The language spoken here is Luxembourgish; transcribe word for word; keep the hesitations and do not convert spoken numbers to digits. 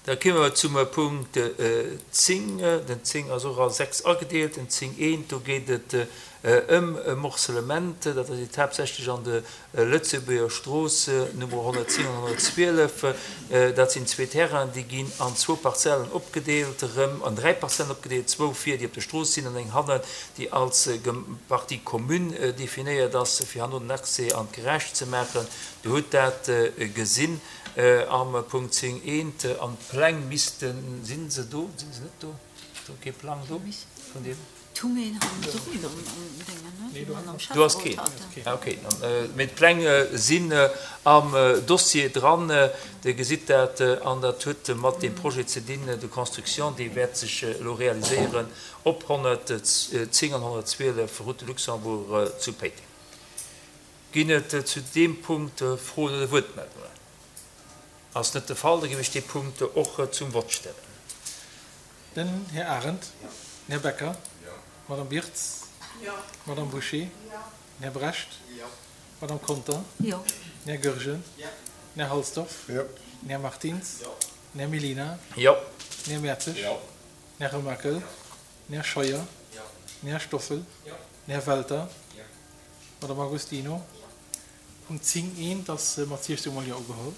Da komme mer zum Punkt zéng. Den zéng ass och a sechs agedeelt. Den zéng eent, do geet et ëm e Morcellement, dat ass haaptsächlech an der Lëtzebuerger Strooss, Nummer honnertzéng an honnertzwielef. Dat sinn zwee Terrainen, déi ginn an zwou Parzellen opgedeelt, erëm an dräi Parzellen opgedeelt, zwou vir, déi op der Strooss sinn, an eng hannen, déi als Partie commune definéiert ass, fir herno den Accès an d'Garage ze maachen. Dir hutt dat gesinn am Punkt zéng eent. An d'Pläng missten, si se do, si se net do? Ass do kee Plang do vun deem? Do ass keen. Ah, okay. Mee d'Pläng sinn am Dossier dran. Dir gesitt dat. An dat huet mat deem Projet ze dinn de construction, dee wäert sech elo realiséieren op honnertzéng an honnertzwielef Route de Luxembourg zu Péiteng. Ginn et zu deem Punkt Froen oder Wuertmeldungen? Ass net de Fall, da géif ech dee Punkt och zum Vott stellen. Den Här Arendt. Den Här Becker. D'Madame Birtz. D'Madame Bouché. Den Här Brecht. D'Madame Conter. Den Här Goergen. Den Här Halsdorf. Den Här Martins. Den Här Mellina. Den Här Mertzig. Den Här Remakel. Den Här Scheuer. Den Här Stoffel. Den Här Welter. D'Madame Agostino. Punkt zéng eent ass mat siechzeg mol Jo ugeholl.